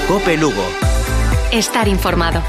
COPE Lugo. Estar informado.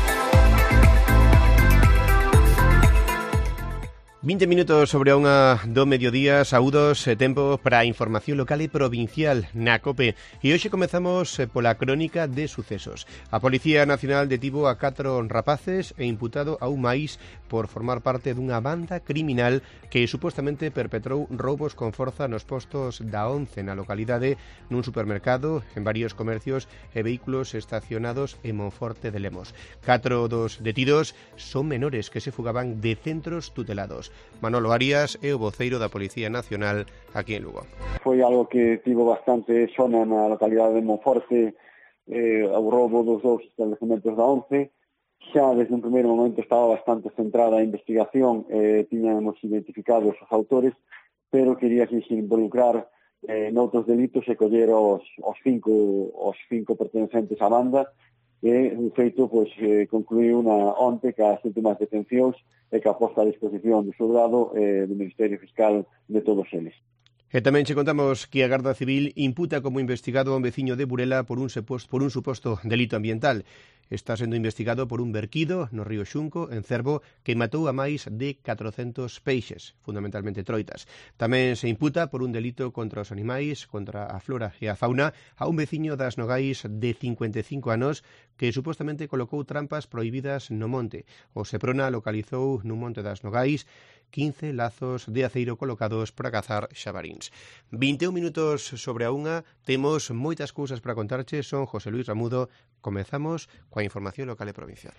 20 minutos sobre a unha do mediodía, saúdos, tempo para a información local e provincial na COPE. E hoxe comezamos pola crónica de sucesos. A Policía Nacional detivo a 4 rapaces e imputado a un máis por formar parte dunha banda criminal que supostamente perpetrou roubos con forza nos postos da 11 na localidade, nun supermercado, en varios comercios e vehículos estacionados en Monforte de Lemos. 4 dos detidos son menores que se fugaban de centros tutelados. Manolo Arias é o voceiro da Policía Nacional aquí en Lugo. Foi algo que tivo bastante sona na localidade de Monforte, o roubo dos dous establecementos da 11. Xa desde un primeiro momento estaba bastante centrada a investigación, tiñamos identificados os autores, pero quería que se involucrar noutros delitos e coller os cinco pertencentes á banda. E, en feito, concluiu onte que as últimas detencións e que a posta a disposición do xulgado do Ministerio Fiscal de todos eles. E tamén che contamos que a Garda Civil imputa como investigado a un veciño de Burela por un suposto delito ambiental. Está sendo investigado por un verquido no río Xunco, en Cervo, que matou a máis de 400 peixes, fundamentalmente troitas. Tamén se imputa por un delito contra os animais, contra a flora e a fauna, a un veciño das Nogais de 55 anos que supostamente colocou trampas prohibidas no monte. O Seprona localizou no monte das Nogais 15 lazos de aceiro colocados para cazar xabaríns. 21 minutos sobre a unha, temos moitas cousas para contarche, son José Luis Ramudo. Comezamos coa información local e provincial.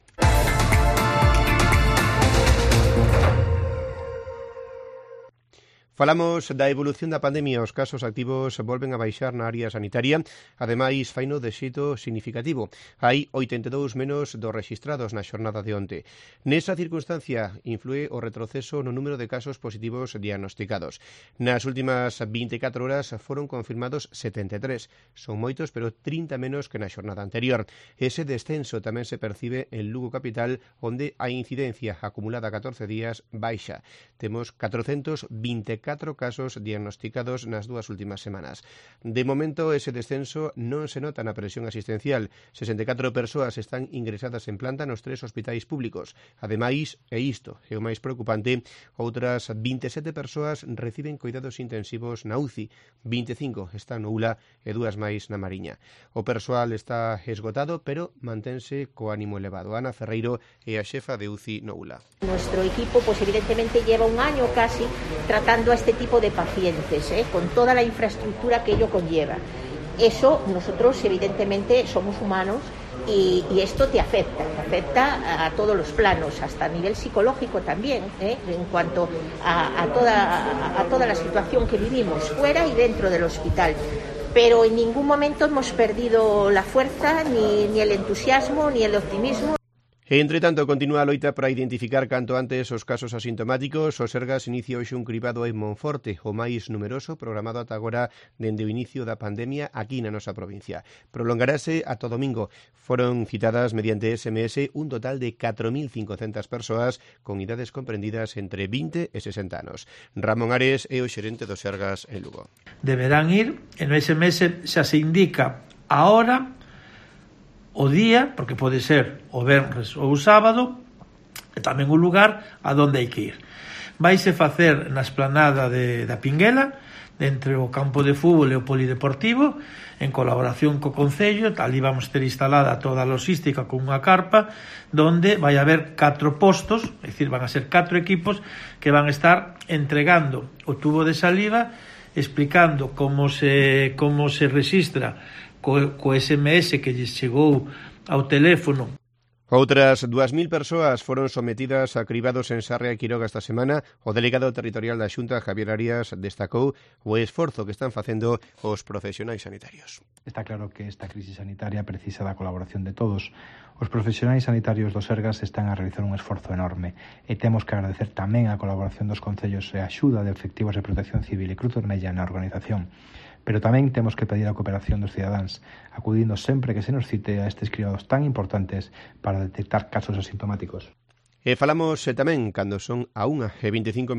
Falamos da evolución da pandemia. Os casos activos volven a baixar na área sanitaria, ademais faino de xeito significativo. Hai 82 menos dos rexistrados na xornada de onte. Nesa circunstancia influe o retroceso no número de casos positivos diagnosticados. Nas últimas 24 horas foron confirmados 73. Son moitos, pero 30 menos que na xornada anterior. Ese descenso tamén se percibe en Lugo capital, onde a incidencia acumulada 14 días baixa. Temos 424 casos diagnosticados nas dúas últimas semanas. De momento, ese descenso non se nota na presión asistencial. 64 persoas están ingresadas en planta nos 3 hospitais públicos. Ademais, e isto é o máis preocupante, outras 27 persoas reciben cuidados intensivos na UCI, 25 están no ULA e 2 máis na Mariña. O persoal está esgotado, pero mantense co ánimo elevado. Ana Ferreiro é a xefa de UCI no ULA. Nuestro equipo, evidentemente lleva un año casi tratando a este tipo de pacientes, con toda la infraestructura que ello conlleva. Eso, nosotros evidentemente somos humanos y esto te afecta a todos los planos, hasta a nivel psicológico también, en cuanto a toda la situación que vivimos fuera y dentro del hospital. Pero en ningún momento hemos perdido la fuerza, ni el entusiasmo, ni el optimismo. Entre tanto, continúa a loita para identificar canto antes os casos asintomáticos. O Sergas inicia hoxe un cribado en Monforte, o máis numeroso programado ata agora dende o inicio da pandemia aquí na nosa provincia. Prolongarase ata o domingo. Foron citadas mediante SMS un total de 4.500 persoas con idades comprendidas entre 20 e 60 anos. Ramón Ares é o xerente do Sergas en Lugo. Deberán ir, e no SMS xa se indica a hora, o día, porque pode ser o venres ou o sábado, e tamén o lugar a donde hai que ir. Vaise facer na esplanada da Pinguela, entre o campo de fútbol e o polideportivo, en colaboración co Concello. Ali vamos ter instalada toda a logística con unha carpa, donde vai haber 4 postos, é dicir, van a ser 4 equipos que van a estar entregando o tubo de saliva, explicando como se rexistra co SMS que lles chegou ao teléfono. Outras 2.000 persoas foron sometidas a cribados en Sarria e Quiroga esta semana. O delegado territorial da Xunta, Javier Arias, destacou o esforzo que están facendo os profesionais sanitarios. Está claro que esta crisis sanitaria precisa da colaboración de todos. Os profesionais sanitarios do Sergas están a realizar un esforzo enorme e temos que agradecer tamén a colaboración dos concellos e a axuda de efectivos de Protección Civil e Cruz Vermella na organización. Pero tamén temos que pedir a cooperación dos cidadáns, acudindo sempre que se nos cite a estes cribados tan importantes para detectar casos asintomáticos. E falamos tamén cando son a 1:25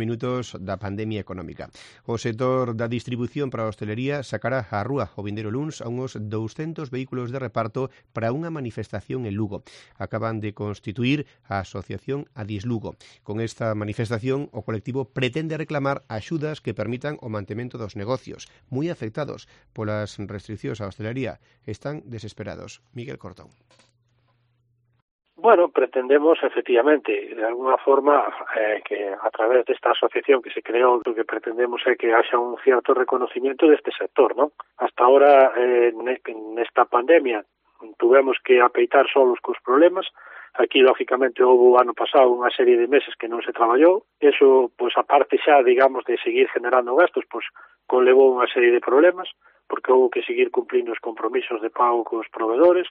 da pandemia económica. O sector da distribución para a hostelería sacará á rúa o vindeiro luns a uns 200 vehículos de reparto para unha manifestación en Lugo. Acaban de constituir a Asociación Adis Lugo. Con esta manifestación, o colectivo pretende reclamar axudas que permitan o mantemento dos negocios, moi afectados polas restriccións á hostelería. Están desesperados. Miguel Cortón. Bueno, pretendemos, efectivamente, de alguna forma, que a través desta asociación que se creou, lo que pretendemos é que haxa un cierto reconocimiento deste sector, ¿no? Hasta ahora, nesta pandemia, tuvemos que apeitar solos cos problemas. Aquí, lógicamente, houve o ano pasado unha serie de meses que non se traballou. Eso, pois, aparte xa, digamos, de seguir generando gastos, pois, conlevou unha serie de problemas, porque houve que seguir cumplindo os compromisos de pago cos proveedores.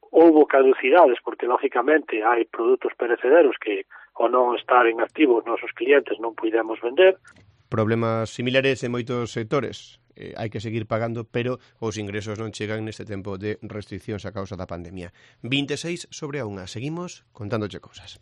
Houbo caducidades, porque, lógicamente, hai produtos perecederos que, ao non estar en activo, os nosos clientes non puidemos vender. Problemas similares en moitos sectores. Hai que seguir pagando, pero os ingresos non chegan neste tempo de restriccións a causa da pandemia. 26 sobre a 1. Seguimos contándoche cousas.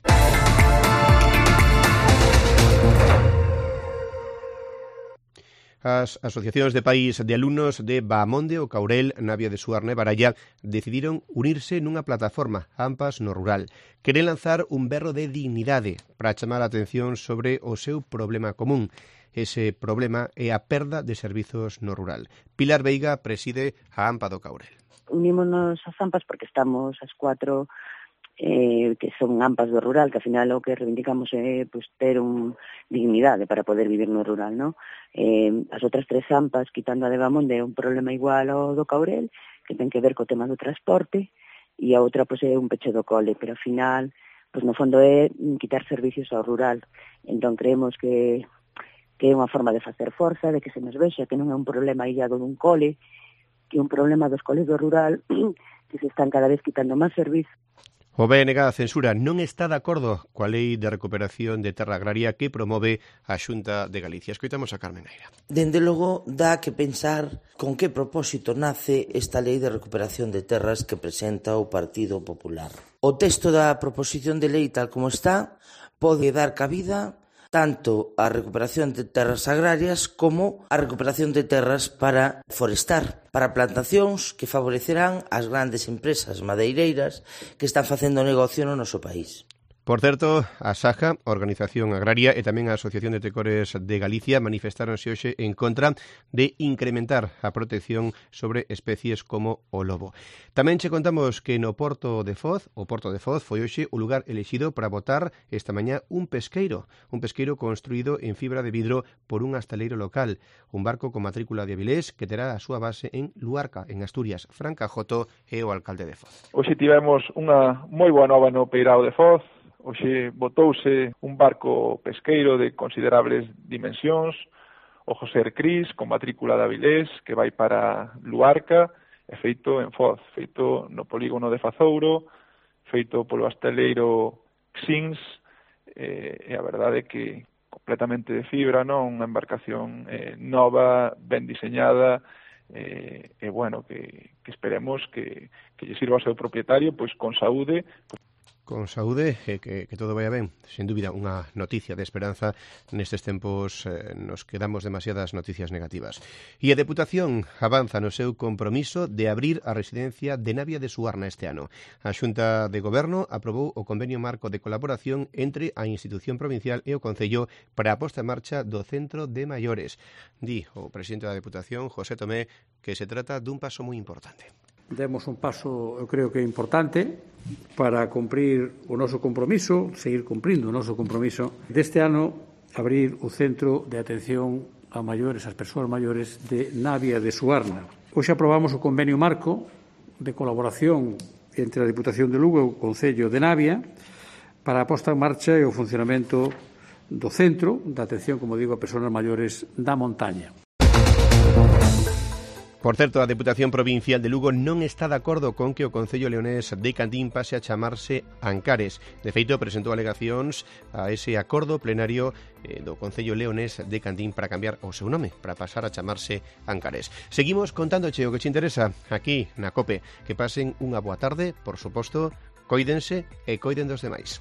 As asociacións de pais de alumnos de Baamonde, o Caurel, Navia de Suarna e Baralla decidiron unirse nunha plataforma, AMPAS no Rural. Queren lanzar un berro de dignidade para chamar a atención sobre o seu problema común. Ese problema é a perda de servizos no rural. Pilar Veiga preside a AMPA do Caurel. Unímonos ás AMPAS porque estamos as 4 que son AMPAs do rural, que ao final o que reivindicamos é pues, ter dignidade para poder vivir no rural, ¿no? As outras 3 AMPAs, quitando a de Baamonde, é un problema igual ao do Caurel, que ten que ver co tema do transporte, e a outra pues, é un peche do cole, pero ao final, pues, no fondo é quitar servicios ao rural. Entón creemos que é unha forma de facer forza, de que se nos vexa que non é un problema illado dun cole, que é un problema dos coles do rural, que se están cada vez quitando máis servicios. O BNG censura non está de acordo coa Lei de Recuperación de Terra Agraria que promove a Xunta de Galicia. Escoitamos a Carmen Neira. Dende logo, dá que pensar con que propósito nace esta Lei de Recuperación de Terras que presenta o Partido Popular. O texto da proposición de lei tal como está pode dar cabida tanto a recuperación de terras agrarias como a recuperación de terras para forestar, para plantacións que favorecerán as grandes empresas madeireiras que están facendo negocio no noso país. Por certo, a SAJA, a Organización Agraria, e tamén a Asociación de Tecores de Galicia manifestáronse hoxe en contra de incrementar a protección sobre especies como o lobo. Tamén che contamos que no Porto de Foz, o Porto de Foz foi hoxe o lugar elixido para botar esta mañá un pesqueiro construído en fibra de vidro por un hostaleiro local, un barco con matrícula de Avilés que terá a súa base en Luarca, en Asturias. Fran Cajoto é o alcalde de Foz. Hoxe tivemos unha moi boa nova no Peirao de Foz. Hoxe botouse un barco pesqueiro de considerables dimensións, o José Cris, con matrícula de Avilés, que vai para Luarca, e feito en Foz, feito no polígono de Fazouro, feito polo hostaleiro Xins, e a verdade é que completamente de fibra, non? Unha embarcación nova, ben diseñada, e bueno, que esperemos que lle sirva ao seu propietario pois con saúde. Con saúde, que todo vaya ben. Sen dúbida, unha noticia de esperanza nestes tempos nos que damos demasiadas noticias negativas. E a Deputación avanza no seu compromiso de abrir a residencia de Navia de Suarna este ano. A Xunta de Goberno aprobou o convenio marco de colaboración entre a institución provincial e o Concello para a posta en marcha do Centro de Maiores. Di o presidente da Deputación, José Tomé, que se trata dun paso moi importante. Demos un paso, eu creo que importante, para cumprir o noso compromiso, seguir cumprindo o noso compromiso deste ano, abrir o Centro de Atención a Maiores, as persoas maiores de Navia de Suarna. Hoxe aprobamos o convenio marco de colaboración entre a Diputación de Lugo e o Concello de Navia para a posta en marcha e o funcionamento do Centro de Atención, como digo, a persoas maiores da montaña. Por certo, a Deputación Provincial de Lugo non está de acordo con que o Concello leonés de Candín pase a chamarse Ancares. De feito, presentou alegacións a ese acordo plenario do Concello leonés de Candín para cambiar o seu nome, para pasar a chamarse Ancares. Seguimos contándoche o que te interesa aquí na COPE. Que pasen unha boa tarde, por suposto, coídense e coiden dos demais.